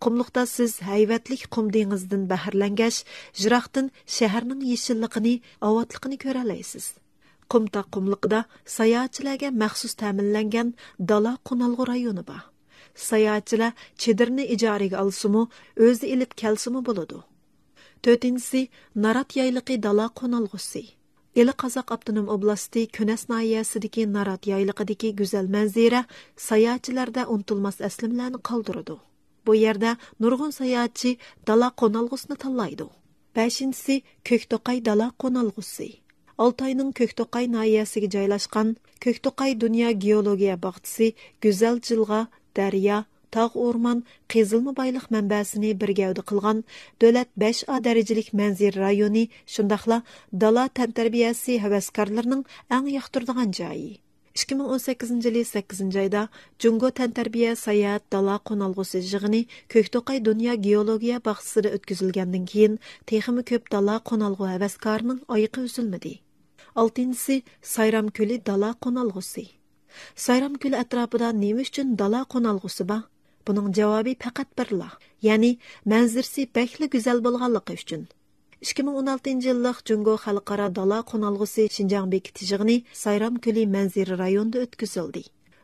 قۇملۇقتا سىز ھەيۋەتلىك قۇم دېڭىزىدىن بەھرىلەنگەچ، يىراقتىن شەھەرنىڭ يېشىللىقىنى، ئاۋاتلىقىنى كۆرەلەيسىز. قۇمتاغ قۇملۇقىدا ساياھەتچىلەرگە مەخسۇس تەمىنلەنگەن دالا قونالغۇ رايونى بار. ساياھەتچىلەر چېدىرنى ئىجارىگە ئالسىمۇ، ئۆزى ئېلىپ كەلسىمۇ بولىدۇ. تۆتىنچىسى، نارات يايلىقى دالا قونالغۇسى. ئىلى قازاق ئاپتونوم ئوبلاستى كۈنەس ناھىيەسىدىكى نارات يايلىقىدىكى گۈزەل مەنزىرە ساياھەتچىلەردە ئۇنتۇلماس ئەسلىمىلەرنى قالدۇرىدۇ. بۇ يەردە نۇرغۇن ساياھەتچى دالا قونالغۇسىنى تاللايدۇ. بەشىنچىسى، كۆكتوقاي دالا قونالغۇسى. ئالتاينىڭ كۆكتوقاي ناھىيەسىگە جايلاشقان كۆكتوقاي دۇنيا گېئولوگىيە باغچىسى گۈزەل جىلغا، دەريا، تاغ، ئورمان، قېزىلما بايلىق مەنبەسىنى بىر گەۋدە قىلغان دۆلەت بەش ئا دەرىجىلىك مەنزىرە رايونى، شۇنداقلا دالا تەنتەربىيەسى ھەۋەسكارلىرىنىڭ ئەڭ ياقتۇرىدىغان جايى. ئىككى مىڭ ئون سەككىزىنچى يىلى سەككىزىنچى ئايدا جۇڭگو تەنتەربىيە ساياھەت دالا قونالغۇسى يىغىنى كۆكتوقاي دۇنيا گېئولوگىيە باغچىسىدا ئۆتكۈزۈلگەندىن كېيىن، تېخىمۇ كۆپ دالا قونالغۇ ھەۋەسكارىنىڭ ئايىقى ئۈزۈلمىدى. ئالتىنچىسى، سايرام كۆلى دالا قونالغۇسى. سايرام كۆلى ئەتراپىدا نېمە ئۈچۈن دالا قونالغۇسى بار؟ بۇنىڭ جاۋابى پەقەت بىرلا، يەنى مەنزىرىسى بەكلا گۈزەل بولغانلىقى ئۈچۈن. ئىككى مىڭ ئون ئالتىنچى يىللىق جۇڭگو خەلقئارا دالا قونالغۇسى شىنجاڭ بېكىتىش يىغىنى سايرام كۆلى مەنزىرە رايونىدا ئۆتكۈزۈلدى.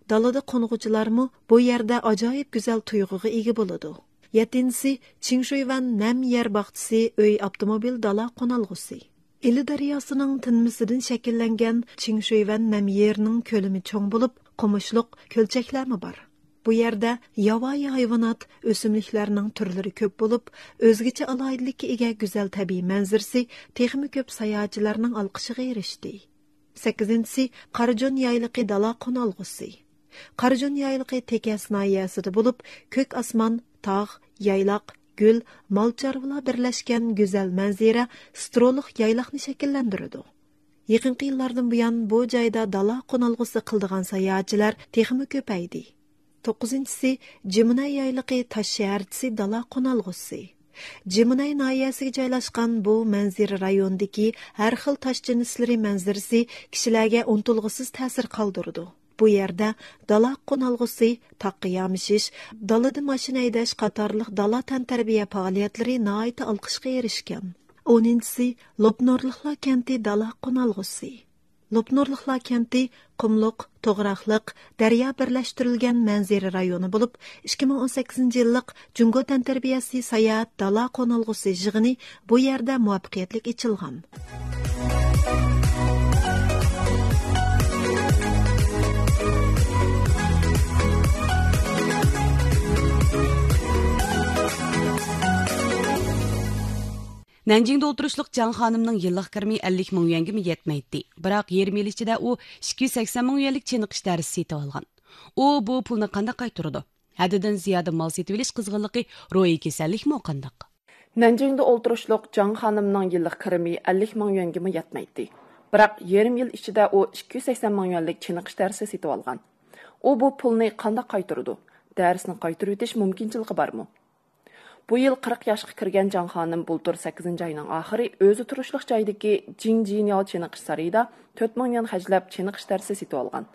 دالىدا قونغۇچىلارمۇ بۇ يەردە ئاجايىپ گۈزەل تۇيغۇغا ئىگە بولىدۇ. يەتتىنچىسى، چىڭشۇيۋەن نەم يەر باغچىسى ئۆي ئاپتوموبىل دالا قونالغۇسى. ئىلى دەرياسىنىڭ تىنمىسىدىن شەكىللەنگەن چىڭشۇيۋەن نەم يېرىنىڭ كۆلىمى چوڭ بولۇپ، قومۇشلۇق، كۆلچەكلەرمۇ بار. بۇ يەردە ياۋايى ھايۋانات، ئۆسۈملۈكلەرنىڭ تۈرلىرى كۆپ بولۇپ، ئۆزگىچە ئالاھىدىلىككە ئىگە گۈزەل تەبىئىي مەنزىرىسى تېخىمۇ كۆپ ساياھەتچىلەرنىڭ ئالقىشىغا ئېرىشتى. سەككىزىنچىسى، قارىجون يايلىقى دالا قونالغۇسى. قارىجون يايلىقى تېكەس ناھىيەسىدە بولۇپ، كۆك ئاسمان، تاغ، يايلاق، گۈل، مال-چارۋىلار بىرلەشكەن گۈزەل مەنزىرە سترولۇق يايلاقنى شەكىللەندۈرىدۇ. يېقىنقى يىللاردىن بۇيان بۇ جايدا دالا قونالغۇسى قىلىدىغان ساياھەتچىلەر تېخىمۇ كۆپەيدى. توققۇزىنچىسى، جىمۇنەي يايلىقى تاش شەھەرچىسى دالا قونالغۇسى. جىمۇنەي ناھىيەسىگە جايلاشقان بۇ مەنزىرە رايونىدىكى ھەر خىل تاش جىنسلىرى مەنزىرىسى كىشىلەرگە ئۇنتۇلغۇسىز تەسىر قالدۇرىدۇ. بۇ يەردە دالا قونالغۇسى، تاغقا يامىشىش، دالىدا ماشىنا ھەيدەش قاتارلىق دالا تەنتەربىيە پائالىيەتلىرى ناھايىتى ئالقىشقا ئېرىشكەن. ئونىنچىسى، لوپنۇرلۇقلار كەنتى دالا قونالغۇسى. لوپنۇرلۇقلار كەنتى قۇملۇق، توغراقلىق، دەريا بىرلەشتۈرۈلگەن مەنزىرە رايونى بولۇپ، ئىككى مىڭ ئون سەككىزىنچى يىللىق جۇڭگو تەنتەربىيەسى ساياھەت دالا قونالغۇسى يىغىنى بۇ يەردە مۇۋەپپەقىيەتلىك ئېچىلغان. نەنجىڭدە ئولتۇرۇشلۇق جاڭ خانىمنىڭ يىللىق كىرىمى ئەللىك مىڭ يۈەنگىمۇ يەتمەيتتى. بىراق يېرىم يىل ئىچىدە ئۇ ئىككى يۈز سەكسەن مىڭ يۈەنلىك چېنىقىش دەرسى سېتىۋالغان. ئۇ بۇ پۇلنى قانداق قايتۇرىدۇ؟ ھەددىدىن زىيادە مال سېتىۋېلىش قىزغىنلىقى روھىي كېسەللىكمۇ قانداق؟ نەنجىڭدە ئولتۇرۇشلۇق جاڭ خانىمنىڭ يىللىق كىرىمى ئەللىك مىڭ يۈەنگىمۇ يەتمەيتتى. بىراق يېرىم يىل ئىچىدە ئۇ ئىككى يۈز سەكسەن مىڭ يۈەنلىك چېنىقىش دەرسى سېتىۋالغان. ئۇ بۇ پۇلنى قانداق قايتۇرىدۇ؟ دەرسنى قايتۇرۇۋېتىش مۇمكىنچىلىكى بارمۇ؟ بۇ يىل قىرىق ياشقا كىرگەن جاڭ خانىم بۇلتۇر سەككىزىنچى ئاينىڭ ئاخىرى ئۆزى تۇرۇشلۇق جايدىكى جىڭ جىنياۋ چېنىقىش سارىيىدا تۆت مىڭ يۈەن خەجلەپ چېنىقىش دەرسى سېتىۋالغان.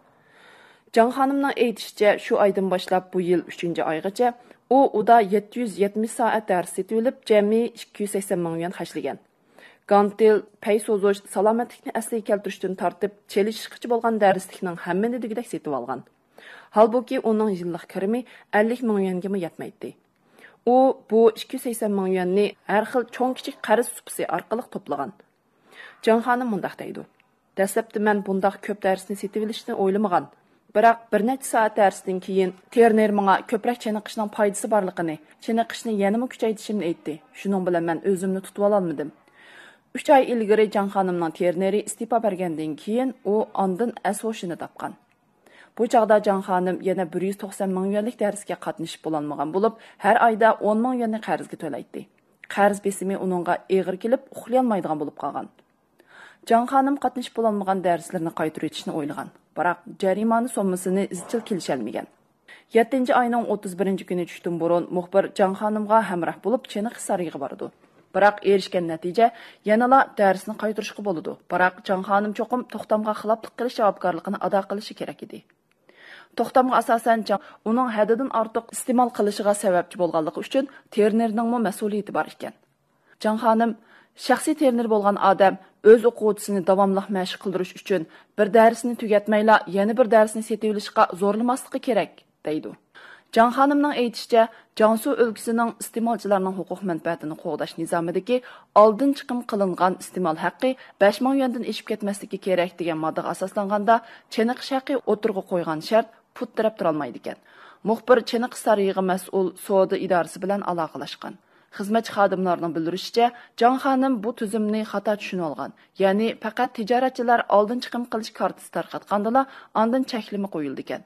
جاڭ خانىمنىڭ ئېيتىشىچە، شۇ ئايدىن باشلاپ بۇ يىل ئۈچىنچى ئايغىچە ئۇ ئۇدا يەتتە يۈز يەتمىش سائەت دەرس سېتىۋېلىپ، جەمئىي ئىككى يۈز سەكسەن مىڭ يۈەن خەجلىگەن. گانتېل، پەي سوزۇش، سالامەتلىكنى ئەسلىگە كەلتۈرۈشتىن تارتىپ، چېلىشىشقىچە بولغان دەرسلىكنىڭ ھەممىنى دېگۈدەك سېتىۋالغان. ھالبۇكى، ئۇنىڭ يىللىق كىرىمى ئەللىك مىڭ يۈەنگىمۇ يەتمەيتتى. ئۇ بۇ ئىككى يۈز سەكسەن مىڭ يۈەننى ھەر خىل چوڭ-كىچىك قەرز سۇپىسى ئارقىلىق توپلىغان. جاڭ خانىم مۇنداق دەيدۇ: دەسلەپتە مەن بۇنداق كۆپ دەرسنى سېتىۋېلىشنى ئويلىمىغان. بىراق بىر نەچچە سائەت دەرستىن كېيىن، ترېنېر ماڭا كۆپرەك چېنىقىشنىڭ پايدىسى بارلىقىنى، چېنىقىشنى يەنىمۇ كۈچەيتىشىمنى ئېيتتى. شۇنىڭ بىلەن مەن ئۆزۈمنى تۇتۇۋالالمىدىم. ئۈچ ئاي ئىلگىرى جاڭ خانىمنىڭ ترېنېرى ئىستېپا بەرگەندىن كېيىن، ئۇ ئاندىن ئەس-ھوشىنى تاپقان. بۇ چاغدا جاڭ خانىم يەنە بىر يۈز توقسان مىڭ يۈەنلىك دەرسكە قاتنىشىپ بولالمىغان بولۇپ، ھەر ئايدا ئون مىڭ يۈەننى قەرزگە تۆلەيتتى. قەرز بېسىمى ئۇنىڭغا ئېغىر كېلىپ، ئۇخلىيالمايدىغان بولۇپ قالغان. جاڭ خانىم قاتنىشىپ بولالمىغان دەرسلىرىنى قايتۇرۇۋېتىشنى ئويلىغان، بىراق جەرىمانە سوممىسىنى ئىزچىل كېلىشەلمىگەن. يەتتىنچى ئاينىڭ ئوتتۇز بىرىنچى كۈنى چۈشتىن بۇرۇن مۇخبىر جاڭ خانىمغا ھەمراھ بولۇپ چېنىقىش سارىيىغا بارىدۇ. بىراق ئېرىشكەن نەتىجە يەنىلا دەرسنى قايتۇرۇشقا بولىدۇ. بىراق جاڭ خانىم چوقۇم توختامغا خىلاپلىق قىلىش جاۋابكارلىقىنى ئادا قىلىشى كېرەك ئىدى. توختامغا ئاساسەن، جاڭ ئۇنىڭ ھەددىدىن ئارتۇق ئىستېمال قىلىشىغا سەۋەبچى بولغانلىقى ئۈچۈن ترېنېرنىڭمۇ مەسئۇلىيىتى بار ئىكەن. جاڭ خانىم، شەخسىي ترېنېر بولغان ئادەم ئۆز ئوقۇغۇچىسىنى داۋاملىق مەشىق قىلدۇرۇش ئۈچۈن بىر دەرسنى تۈگەتمەيلا يەنە بىر دەرسنى سېتىۋېلىشقا زورلىماسلىقى كېرەك، دەيدۇ. جاڭ خانىمنىڭ ئېيتىشىچە، جياڭسۇ ئۆلكىسىنىڭ ئىستېمالچىلارنىڭ ھوقۇق مەنپەئەتىنى قوغداش نىزامىدىكى ئالدىن چىقىم قىلىنغان ئىستېمال ھەققى بەش مىڭ يۈەندىن ئېشىپ كەتمەسلىكى كېرەك دېگەن ماددىغا ئاساسلانغاندا، چېنىقىش ھەققى ئوتتۇرىغا قويغان شەرت پۇت تىرەپ تۇرالمايدىكەن. مۇخبىر چېنىقىش سارىيىغا مەسئۇل سودا ئىدارىسى بىلەن ئالاقىلەشكەن. خىزمەتچى خادىملارنىڭ بىلدۈرۈشىچە، جاڭ خانىم بۇ تۈزۈمنى خاتا چۈشىنىۋالغان، يەنى پەقەت تىجارەتچىلەر ئالدىن چىقىم قىلىش كارتىسى تارقاتقاندىلا ئاندىن چەكلىمە قويۇلىدىكەن.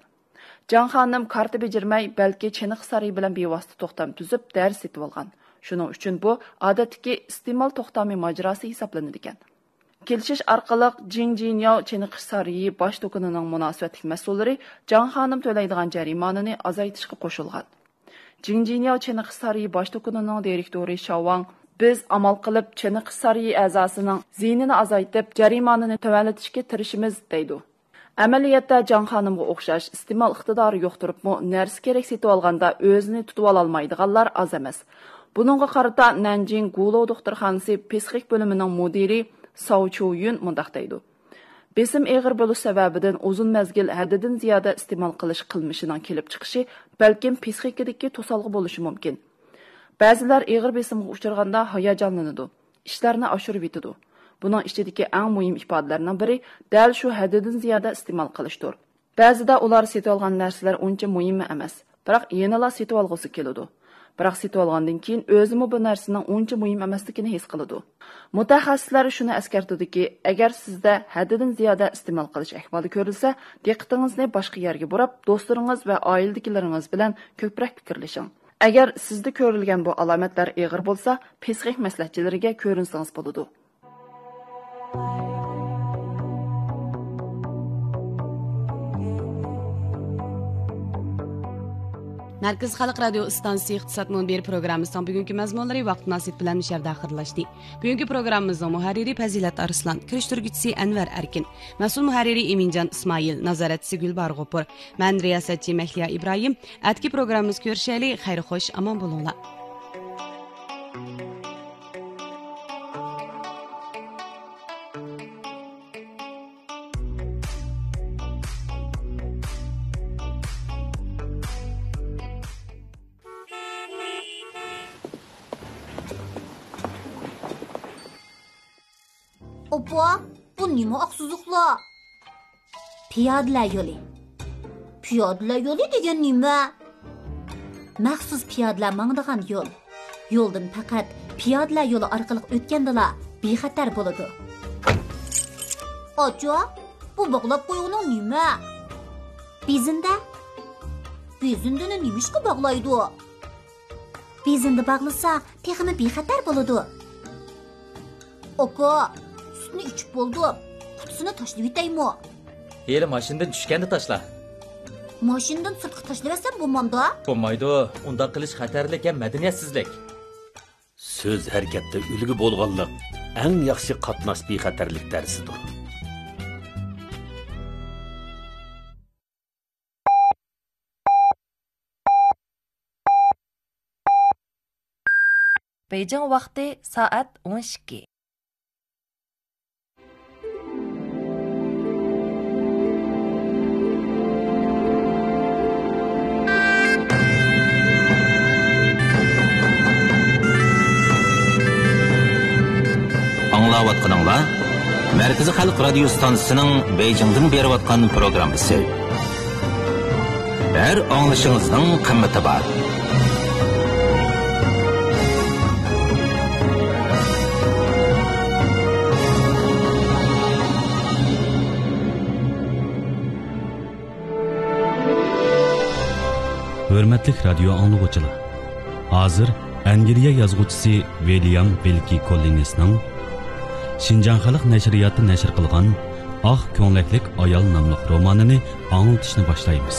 جاڭ خانىم كارتا بېجىرمەي، بەلكى چېنىقىش سارىيى بىلەن بىۋاسىتە توختام تۈزۈپ، دەرس سېتىۋالغان. شۇنىڭ ئۈچۈن بۇ ئادەتتىكى ئىستېمال توختامى ماجىراسى ھېسابلىنىدىكەن. كېلىشىش ئارقىلىق جىڭ جىنياۋ چېنىقىش سارىيى باش دۇكىنىنىڭ مۇناسىۋەتلىك مەسئۇللىرى جاڭ خانىم تۆلەيدىغان جەرىمانىنى ئازايتىشقا قوشۇلغان. جىڭ جىنياۋ چېنىقىش سارىيى باش دۇكىنىنىڭ دىرېكتورى شاۋ ۋاڭ، بىز ئامال قىلىپ چېنىقىش سارىيى ئەزاسىنىڭ زىيىنىنى ئازايتىپ، جەرىمانىنى تۆۋەنلىتىشكە تىرىشىمىز، دەيدۇ. ئەمەلىيەتتە جاڭ خانىمغا ئوخشاش ئىستېمال ئىقتىدارى يوق تۇرۇپمۇ، نەرسە كېرەك سېتىۋالغاندا ئۆزىنى تۇتۇۋالالمايدىغانلار ئاز ئەمەس. بۇنىڭغا قارىتا نەنجىڭ گۇلوۋ دوختۇرخانىسى پسىخىك بۆلۈمىنىڭ مۇدىرى ساۋ چيۇ يۈن مۇنداق دەيدۇ: بېسىم ئېغىر بولۇش سەۋەبىدىن ئۇزۇن مەزگىل ھەددىدىن زىيادە ئىستېمال قىلىش قىلمىشىنىڭ كېلىپ چىقىشى بەلكىم پسىخىكىدىكى توسالغۇ بولۇشى مۇمكىن. بەزىلەر ئېغىر بېسىمغا ئۇچرىغاندا ھاياجانلىنىدۇ، ئىشلارنى ئاشۇرۇۋېتىدۇ. بۇنىڭ ئىچىدىكى ئەڭ مۇھىم ئىپادىلەرنىڭ بىرى دەل شۇ ھەددىدىن زىيادە ئىستېمال قىلىشتۇر. بەزىدە ئۇلار سېتىۋالغان نەرسىلەر ئۇنچە مۇھىممۇ ئەمەس، بىراق يەنىلا سېتىۋالغۇسى كېلىدۇ. بىراق سېتىۋالغاندىن كېيىن ئۆزىمۇ بۇ نەرسىنىڭ ئۇنچە مۇھىم ئەمەسلىكىنى ھېس قىلىدۇ. مۇتەخەسسىسلەر شۇنى ئەسكەرتىدۇكى، ئەگەر سىزدە ھەددىدىن زىيادە ئىستېمال قىلىش ئەھۋالى كۆرۈلسە، دىققىتىڭىزنى باشقا يەرگە بۇراپ، دوستلىرىڭىز ۋە ئائىلىدىكىلىرىڭىز بىلەن كۆپرەك پىكىرلىشىڭ. ئەگەر سىزدە كۆرۈلگەن بۇ ئالامەتلەر ئېغىر بولسا، پسىخىك مەسلىھەتچىلىرىگە كۆرۈنسىڭىز بولىدۇ. مەركىزىي خەلق رادىيو ئىستانسىسى ئىقتىساد مۇنبىرى پروگراممىسىنىڭ بۈگۈنكى مەزمۇنلىرى ۋاقىت مۇناسىۋىتى بىلەن مۇشۇ يەردە ئاخىرلاشتى. بۈگۈنكى پروگراممىمىزنىڭ مۇھەررىرى پەزىلەت ئارسلان، كىرىشتۈرگۈچىسى ئەنۋەر ئەركىن، مەسئۇل مۇھەررىرى ئىمىنجان ئىسمائىل، نازارەتچىسى گۈلباھار غوپۇر، مەن رىياسەتچى مەھلىيا ئىبراھىم. ئەتىكى پروگراممىمىزدا كۆرۈشەيلى. خەير خوش، ئامان بولۇڭلار. ئاپا، بۇ نېمە ئاق سوزۇقلار؟ پىيادىلەر يولى. پىيادىلەر يولى دېگەن نېمە؟ مەخسۇس پىيادىلەر ماڭىدىغان يول. يولدىن پەقەت پىيادىلەر يولى ئارقىلىق ئۆتكەندىلا بىخەتەر بولىدۇ. ئاچا، بۇ باغلاپ قويغىنىڭ نېمە؟ بېزىندە. بېزىندىنى نېمىشقا باغلايدۇ؟ بېزىندە باغلىسا، تېخىمۇ بىخەتەر بولىدۇ. ئاكا، سۈتنى ئىچىپ بولدۇم. قۇتىسىنى تاشلىۋېتەيمۇ؟ ھېلى ماشىنىدىن چۈشكەندە تاشلا. ماشىنىدىن سىرتقا تاشلىۋەتسەم بولمامدۇ؟ بولمايدۇ. ئۇنداق قىلىش خەتەرلىك ھەم مەدەنىيەتسىزلىك. سۆز ھەرىكەتتە ئۈلگە بولغانلىق ئەڭ ياخشى قاتناش بىخەتەرلىك دەرسىدۇر. بېيجىڭ ۋاقتى سائەت ئون ئىككى. ئاڭلاۋاتقىنىڭلار مەركىزىي خەلق رادىيو ستانسىسىنىڭ بېيجىڭدىن بېرىۋاتقان پروگراممىسى. ھەر ئاڭلىشىڭىزنىڭ قىممىتى بار. ھۆرمەتلىك رادىيو ئاڭلىغۇچىلار، ھازىر ئەنگلىيە يازغۇچىسى ۋىليام ۋىلكى كوللىنسنىڭ شىنجاڭ خەلق نەشرىياتى نەشر قىلغان ئاق كۆڭلەكلىك ئايال ناملىق رومانىنى ئاڭلىتىشنى باشلايمىز.